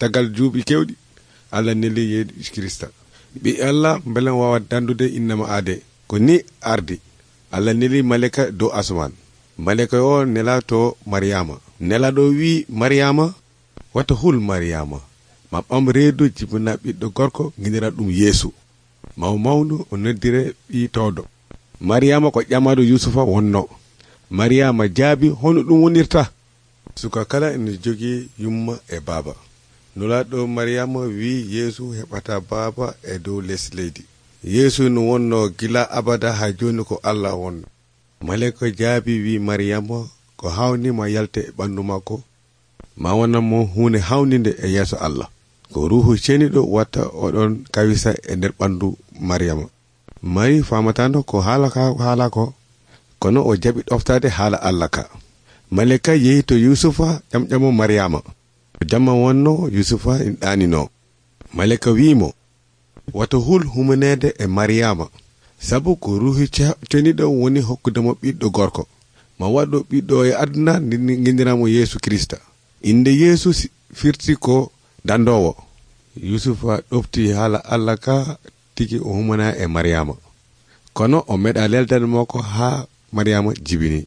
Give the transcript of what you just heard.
tagal juuɓi kewɗi Allah neli Yeesu Kirista ɓi Allah beelen wawa dandude innama aade ko ni ardi. Allah neli maleka dow asman. Maleka o nela to Maryama. Nelaɗo wi Maryama wata hul Maryama ma ɓam reedu jibina ɓiɗɗo gorko ginira ɗum Yeesu mawnu o noddire ɓi towdo. Maryama ko ƴamado Yusufa wonno. Maryama jaabi hono ɗum wonirta. Suka kala ene jogii yumma e baaba. Nulaɗo Maryama wi Yeesu heɓata baaba e dow les leydi. Yeesu no wonno gila abada ha joni ko Allah wonno. Maleka jaabi wi Maryama ko hawnima yalte e ɓandu makko ma wonanmo hunde hawnide e yeeso Allah. Ko ruhu ceniɗo watta oɗon kawisa e nder ɓandu Maryama. Mari famatano ko haala ko kono o jaɓi ɗoftade haala Allah ka. Maleka yehi to Yusufa ƴamƴamo Maryama. Jamma wonno Yusufa in ɗanino. Maleka wimo wata hul humanede e Maryama sabu ko ruhi ceniɗo woni hokkudemo ɓiɗɗo gorko ma waɗɗo ɓiɗɗo e aduna gindiramo Yeesu Kirista. Inde Yeesu firti ko dandowo. Yusufa ɗofti haala Allah ka tigi o humana e Maryama kono o meɗa leldade makko ha Maryama jibini.